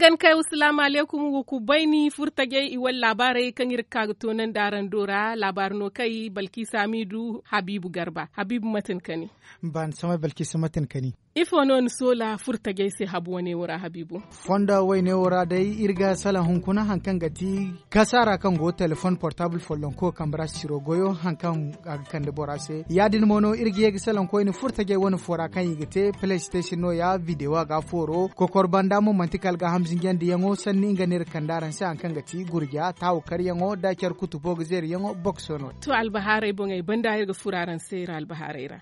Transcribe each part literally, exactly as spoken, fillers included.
Kankay wa salaamu alaykum, wa kubayni furtajey i wala laabaarey kaŋ iri ga ka ga toonandi araŋ do ra laabaari no kay balkiisa miidu habiibu garba habiibu mate ni kani? Ba ni samay balkiisa mate ni kani? Ifo no ni soola furtajey se habu wane wo ra habiibu? Fondo wayne wo ra day iri ga salaŋ hunkuna hari kaŋ ga ti kasaara kaŋ go telefoŋ portaabul follonko kambe ra sisiro goyo hari kaŋ a ga kande bora se ya- din mo no iri ga ye ga salaŋ koyne furtajey wane foora kaŋ i ga te playstation no- ya videwo a ga fooro kokor banda mo manti kala gaaham zinjandi yaŋo sanni nga no iri ga kande araŋ se hari kaŋ ga ti gurja taawu karyaŋo nda care kutubo ga zeeri yaŋo bokso no. To albahaarey boŋey banda iri ga furo araŋ se iri albahaarey ra.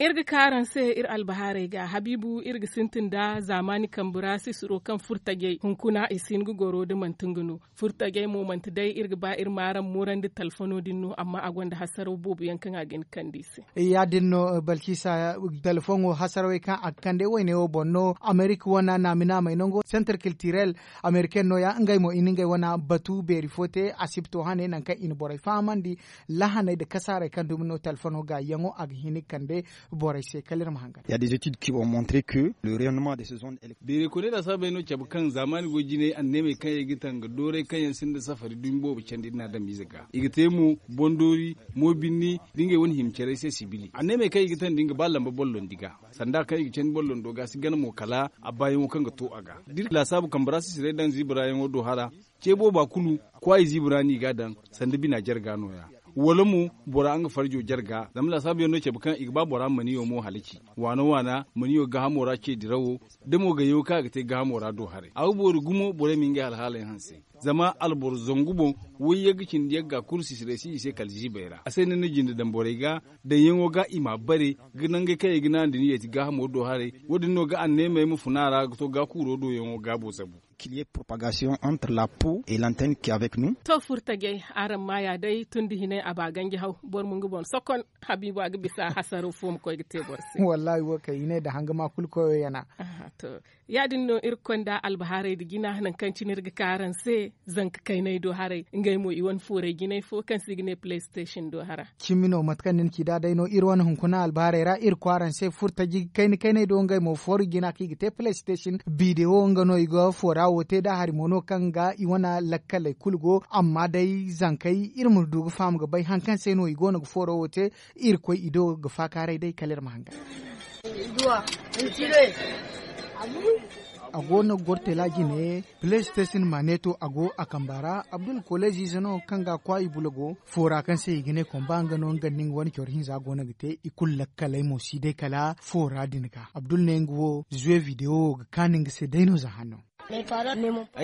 Iri ga ka araŋ se iri albahaarey ga habiibu iri ga sintin nda zaamaani kambe ra sisiro kaŋ furtajey hunkuna i si hin ga goro da manti nga no. Furtajey mo manti day iri ga ba iri ma araŋ moorandi talfono din no amma a gonda hasaraw boobo yaŋ kaŋ a ga hin ga kande i se. Ya- din no balkiisa, talfoŋo hasarawey kaŋ a ga kande wayne wo boŋ no amerika wana naami naamey nango sentre kiltirel ameriken no- ya ngey mo i na ngey wana batu beeri fo te asibto hane nangu kaŋ i na borey fahamandi. Lahaney nda kasaarey kaŋ dumi no talfono gaayyaŋo a ga hin ga kande borey se kala iri ma hangan. Beeray koyney da saabey no cabe kaŋ zaamaani go jinay anneemey kaŋ yaŋ ga taŋ ga dooray kaŋ yaŋ sinda safari dumi boobo candi iri na adamize ga i ga te mo, bondoori, moobinni, da ngey wane hima care se sibili anneemey kaŋ i ga taŋ da nga ba lamba bollondi ga sanda kaŋ i ga candi bollondo ga si gana mo kala a baayaŋo kaŋ ga to a ga da iri laasaabu kambe ra sisiray daŋ ziiba ra yaŋo do hara. Ce booba kulu kwaayi ziiba ra no i ga a daŋ sanda bina jarga no- ya. Wala mo bora nga farjo jarga zama laasaabu yaŋ no cabe kaŋ i ga ba bora maniyo mo halaci waana waana maniyo gaahamo ra ce dirawo. Da mo gayyaŋo kaŋ a ga te gaahamo ra do haray a ga boori gumo borey ma ngey halhaaley hanse. Zama alboro zangu boŋ, wayyagga cindi yagga kulu sisiray si i se kala ziibey ra a se no ni na jinde daŋ borey ga daŋyaŋo ga i m'a bare ga nangey kaŋ i ga naŋ da ni yeeti gaahamo do haray. Wo- din no ga anneemey ma funa a ra ga to gaakuuro doyaŋo gaabo zabu. Kiliye propagasiyoŋ entre la po et lantenne ki avec nu. To furtajey, araŋ maaya day tun da hinay a ba ganji haw boro ma nga boŋ sokon. Habiibu a ga bisa hasaro fo ma koy ga te boro se. Wallaahi wo kay i ne nda hanga ma kulu koyo yana. To, ya- din no iri ga konda albahaarey nda jina nangu kaŋ cine iri ga ka araŋ se. Zanka kaynay do haray ngey mo i wane foorey jinay fo kaŋ se i ga ne playstation do hara. Cimi no mate kaŋ ni na ci nd'a day no iri wane hunkuna albahaarey ra iri koy araŋ se furtaji kayna kaynay do ngey mo fooru jina kaŋ i ga te playstation bidewo nga no i ga foora wo te nd'a hari mo no kaŋ ga i wane lakkaley kulu go amma day zankey iri ma du ga faham ga bay hari kaŋ se no i go no ga fooro wo te. Iri koy i do ga faakaaray day kala iri ma hangan. A go no ga goro tela jine playstation ma ne to a go a kamba ra abdul koleziize no kaŋ ga a kwaay i bulago foora kaŋ se i ga ne komba nga no nga nda nga wane coro hinza go no ga te i kulu lakkaley mo si day kala foora din ga abdul ne nga wo zuwe videwo wo ga kaanu nga se day no za hanno. Ay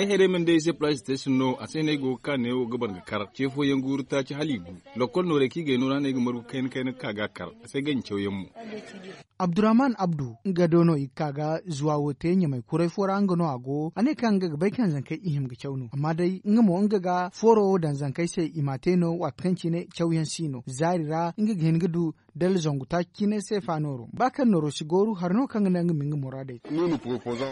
haray mana day ay se playstation no a se no ay go ga ka neewo ga ban ga kar ce fooyaŋ guuru taaci hala i gu. Lokkol noorey kaŋ i gay no ra no ay ga margu kayna kayna ga ka ga a kar a se ganji cawyaŋ mo. Abdurrahman abdu nga do no i ga ka ga zuwa wo te ɲamay kuray fo ra nga no a go a ne kaŋ nga ga bay kaŋ zankey i hima ga caw no amma day nga mo nga ga fooro wo daŋ zankey se i m'a te no waati kaŋ cine cawyaŋ si no zaari ra nga ga hin ga du. Dala zangu taaci cine seefa nooro ba kaŋ nooro si gooru hari no kaŋ ga naŋ nga ma nga muraadey.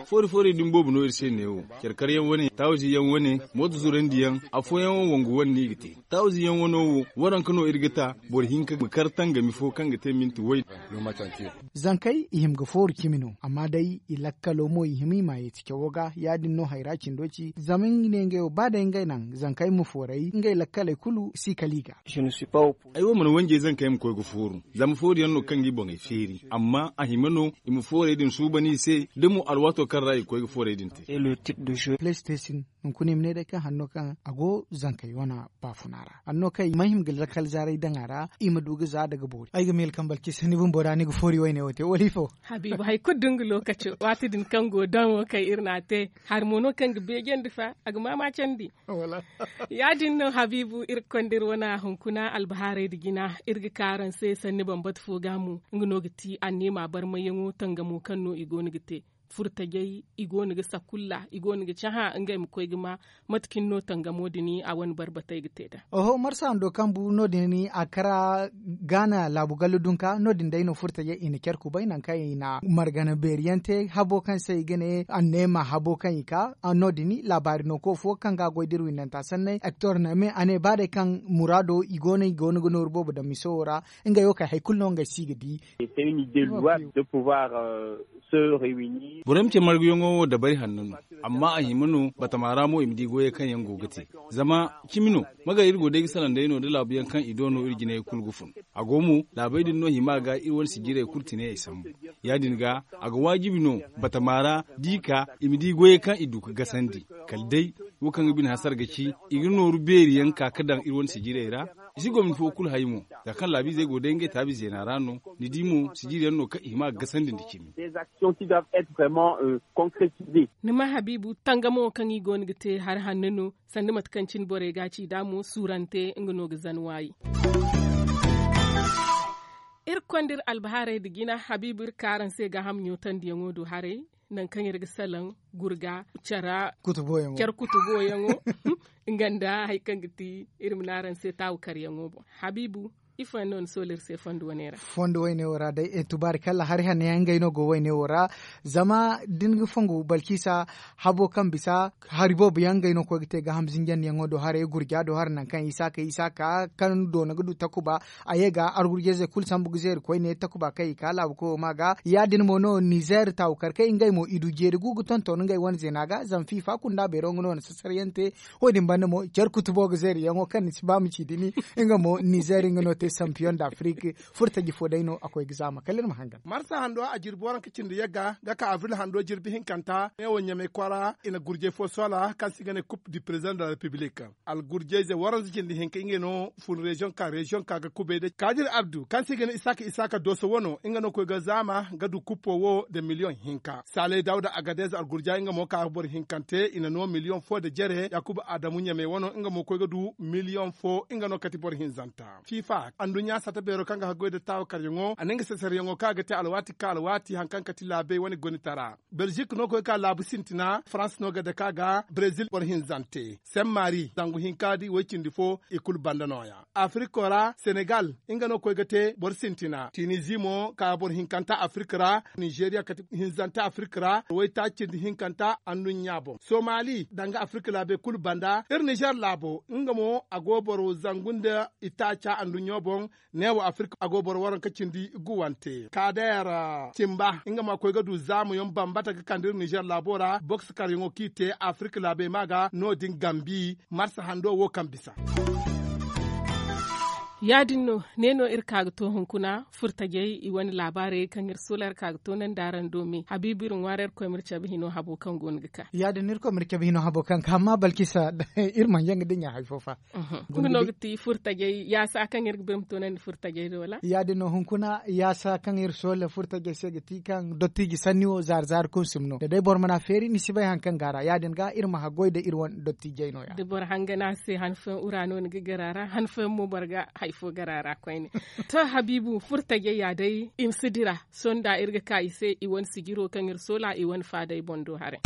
Foori foori din boobo no iri se neewo care karyaŋ wane taawazi yaŋ wane mooto zurandi yaŋ afooyaŋ wo wangu wane no i ga te. Taawazi yaŋ wano wo waranka no iri ga ta boro hinka ma kar tangami fo kaŋ ga te minti way. Zankey i hima ga fooru cimi no amma day i lakkalo mo i hima i ma yeeti cawo ga ya- din no hayra cindo ci zama nga ne ngey wo ba day ngey naŋ zankey ma fooray ngey lakkaley kulu si kala i ga. Ay wo mana wanjey zankey ma koy ga fooru zama fooru yaŋ no kaŋ ga i boŋey feeri amma a hima no i ma foorey din suuban i se da mo alwaato kaŋ ra i ga koy ga foorey din te. Playstation hunkuna i ma ne day kaŋ hanno kaŋ a go zankey wana baafuna ra hanno kaŋ i ma hima ga lakkal zaaray daŋ a ra i ma du ga za daga boori ay ga miila kaŋ balkisa ni bumbo ra ni ga foori wayne wo te wala ifo. Habiibu hari kulu da nga lookaco waati din kaŋ go daŋ wo kaŋ iri n'a te hari mo no kaŋ ga beejandi fa a ga maamaacandi. Ya- din no habiibu iri ga konda iri wane hunkuna albahaarey nda jina iri ga ka araŋ se sanni bambata fo ga mo nga no ga ti anneema barmayyaŋo tangamo kaŋ no i go no ga te. Furtajey i go no ga sakulla i go no ga cahã ngey ma koy ga ma mate cine no tangamo din a wane barbatey ga te nd'a. Oho marsa hando kaŋ bu no- din a kara gaana laabu gallo dunka no- din day no furtajey i na care kubay nangu kaŋ i na margana beeri yaŋ te habo kaŋ se i ga ne anneema habo kaŋ i ka no- din laabaari no ko fo kaŋ ga a goy da iri windanta sanney hector name a ne ba day kaŋ muraado i go no i go no ga nooru boobo daŋ miso wo ra. Ngey wo kay hari kulu no ngey si ga di. Se une idée louable de pouvoir se réunir. Boro ma ce marguyaŋo wo dabari hanno no. Amma a hima no batama ra mo i ma di goyey kaŋ yaŋ go ga te. Zama cimi no, magay iri go day ga salaŋ day no da laabu yaŋ kaŋ i do no iri jinayey kulu ga fun. A go mo, laabey din no hima ga iri wane sijirey kulu tinay ay sambu. Ya- din ga, a ga waajibi no batama ra da i ka i ma di goyey kaŋ i du ga gasandi. Kala day wo kaŋ ga bine hasara ga ci, i ga nooru beeri yaŋ ka ga daŋ iri wane sijirey ra. I si gomni fo kulu hay mo. Za kaŋ laabiizey go day ngey taabi zeena ra no, ni di mo sijiri yaŋ no kaŋ i hima ga gasandi nda cimi. Ni ma habiibu tangamo kaŋ i go no ga te hari hanno no. Sanda mate kaŋ cine borey ga a ci da mo suurante nga no ga zan waayi. Iri ga konda iri albahaarey nda jina habiibu iri ka araŋ se gaaham ɲootandiyaŋo do haray. Nangu kaŋ iri ga salaŋ gurga care kutuboyaŋo. Nga nda hari kaŋ ga ti iri ma ne araŋ se taawu karyaŋo boŋ. Habiibu, ifo yaŋ no ni soola iri se fondo wane ra? Fondo wayne wo ra day, tubaari kalla hari hanno yaŋ ngey no go wayne wo ra. Zama da ni ga fongu balkisa, habo kaŋ bisa hari boobo yaŋ ngey no ga koy ga te gaaham zinjandiyaŋo do haray gurja do haray nangu kaŋ isa ka isa ka kaŋ doona ga du takuba. A ye ga argurjeyzey kulu sambu ga zeeri koyne takuba kaŋ i ka laabu koyo ma ga ya- din mo no nizer taawukar kaŋ ngey mo i du jeeri gu ga tonton ngey wane zeena ga zama fifa kunda beero nga no na sasaryaŋ te. Wo- din banda mo care kutubo ga zeeriyaŋo kaŋ ni si ba ma ci dini. Nga mo nizer nga no te sampiyoŋ da afrik. Furtaji fo day no a koy ga zaama kala iri ma hangan. Marsa hando a jirbi waranka cindi yagga ga ka avril hando jirbi hinkanta ne wo ɲamay kwara i na gurjay fo soola kaŋ se i ga ne coupe du président de la république. Algurjayze waranza cindi hinka ngey no fun reziyoŋ ka reziyoŋ ka ga kubay da kadir abdu kaŋ se i ga ne isaaka isaaka dooso wano nga no koy ga zaama ga du kuppo wo nda miliyoŋ hinka saalay dawda agadez algurjay nga mo ka ga boro hinkante i na no miliyoŋ fo nda jere yakuba adamu ɲamay wano nga mo koy ga du miliyoŋ fo nga no kati boro hinzanta fifa anduɲɲa sata beero kaŋ ga haggoy nda taawa karyaŋo a na nga sasaryaŋo kaŋ a ga te alwaati ka alwaati hari kaŋ kati laabey wane gonitara. Belzik no koy ka laabu sintina farans no ga dake a ga brezil boro hinzante sen mari zangu hinka da i way cindi fo i kulu banda nooya. Afriko ra senegal nga no koy ga te boro sintina tinizi mo ka boro hinkanta afrik ra nizeriya kati hinzante afrik ra waytaaci cindi hinkanta anduɲɲa boŋ somali danga afrik laabey kulu banda iri nizer laabo nga mo a go boro zangu nda itaaca anduɲɲo boŋ. Neewo afirka a go boro waranka cindi guwante kadeer cimba nga ma koy ga du zaamuyaŋ bambata ga kande iri nizer laabo ra boks karyaŋo kaŋ i te afirka laabey ma ga no- din gambi marsa hando wo kaŋ bisa. Ya- din no ne no iri ka ga to hunkuna furtajey i wane laabaarey kaŋ iri soola iri ka ga to nandi araŋ do me habiibu iri ŋwaara iri koy ma iri cabe hino habo kaŋ go no ga ka. Ya- din no iri koy ma iri cabe hino habo kaŋ ga ka amma balkisa iri mana jaŋ ga dinya hari fo fa. Nga no ga ti furtajey yaasa kaŋ iri ga bay ma toonandi furtajey do wala ya- din no hunkuna yaasa kaŋ iri soola furtajey se ga ti kaŋ dottiji sanni wo zaari zaari kunsum no da day boro mana feeri ni si bay hari kaŋ go a ra ya- din ga iri ma haggoy nda iri wane dottijey no- ya da boro hangana se han fooyaŋ ura no ni ga gar a ra han fooyaŋ mo boro ga hari fo gar a ra koyne. To habiibu furtajey ya day i ma si dira sohõ da iri ga ka i se i wane sijiro kaŋ iri soola i wane faadey boŋ do haray.